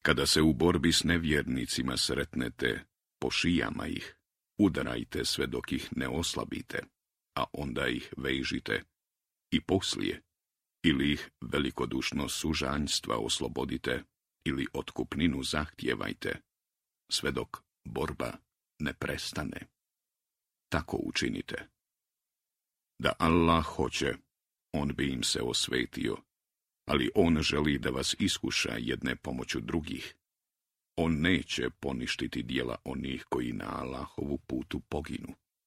Kada se u borbi s nevjernicima sretnete, po šijama ih, udarajte sve dok ih ne oslabite, a onda ih vežite, i poslije, ili ih velikodušno sužanjstva oslobodite, ili otkupninu zahtijevajte, sve dok borba ne prestane. Tako učinite. Da Allah hoće, on bi im se osvetio, ali on želi da vas iskuša jedne pomoću drugih. On neće poništiti djela onih koji na Allahovu putu poginu.